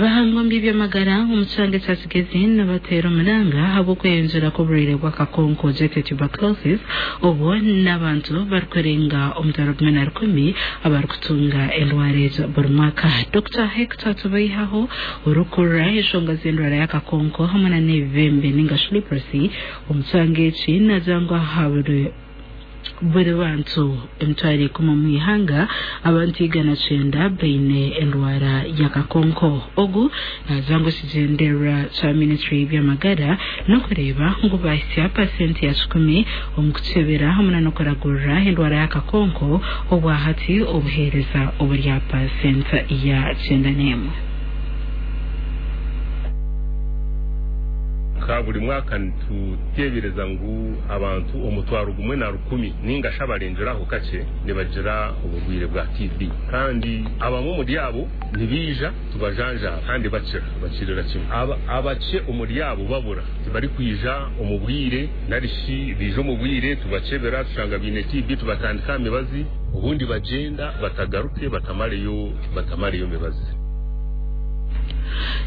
Abahangu omu by'amagara omu kyanga ekya Kigezi nibateera omuranga ahabw'okweyongyera kw'oburwaire bw'akakonko J tuberculosis obwo n'abantu barikurenga 10,100 abarikutunga endwara ezo buri mwaka. Dr Hector Tubaihaho orikukurira enshonga z'endwara y'akakonko hamwe na n'ebibembe ninga shi leprosy omu kyanga eki naagira ngu aha buri bantu 100,000 omu ihanga, abantu 190 baine endwara y'akakonko. Ogu naagira ngu ekigyendererwa kya ministry y'ebyamagara n'okureeba ngu bahisya 100% omu kukyebera hamwe na n'okuragurira endwara y'akakonko, obwahati obuheereza oburi aha 91%. Nka buri mwaka nituteebereza ngu abantu 10,000 ninga shi abarengeraho kakye nibagira oburwaire bwa TB, kandi abamwe omuri abo nibaija tubajanjaaba kandi bakira, bakirira kimwe. Abakye omuri abo babura, tibarikwija omu bwire nari shi baija omu bwire tubakyebera tushanga baine TB, tubatandika aha mibazi, obundi bagyenda batagaruke batamareyo mibazi.